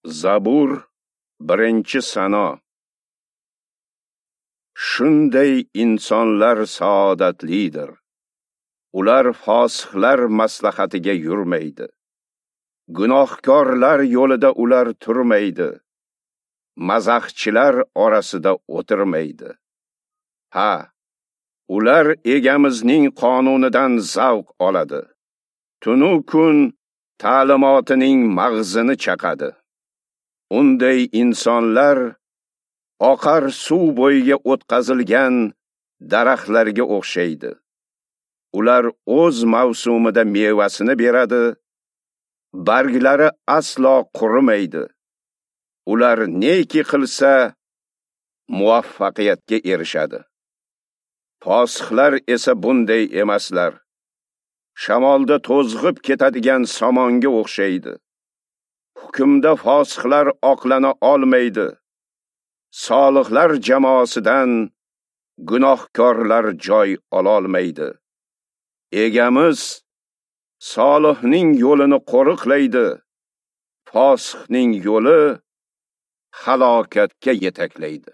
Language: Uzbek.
Zabur, 1-sano. Shunday insonlar saodatlidir. Ular fosihlar maslahatiga yurmaydi. Gunohkorlar yo'lida ular turmaydi. Mazaxchilar orasida o'tirmaydi. Ha, ular egamizning qonunidan zavq oladi. Tunu kun ta'limotining mag'zini chaqadi. Unday insonlar oqar suv bo'yiga o'tqazilgan daraxtlarga o'xshaydi. Ular o'z mavsumida mevasini beradi, barglari aslo qurimaydi. Ular neki qilsa muvaffaqiyatga erishadi. Fosihlar esa bunday emaslar. Shamolda to'zg'ib ketadigan somonga o'xshaydi. Hukmda fosihlar oqlana olmaydi. Solihlar jamoasidan gunohkorlar joy ololmaydi. Egamiz solihning yo'lini qo'riqlaydi. Fosihning yo'li halokatga yetaklaydi.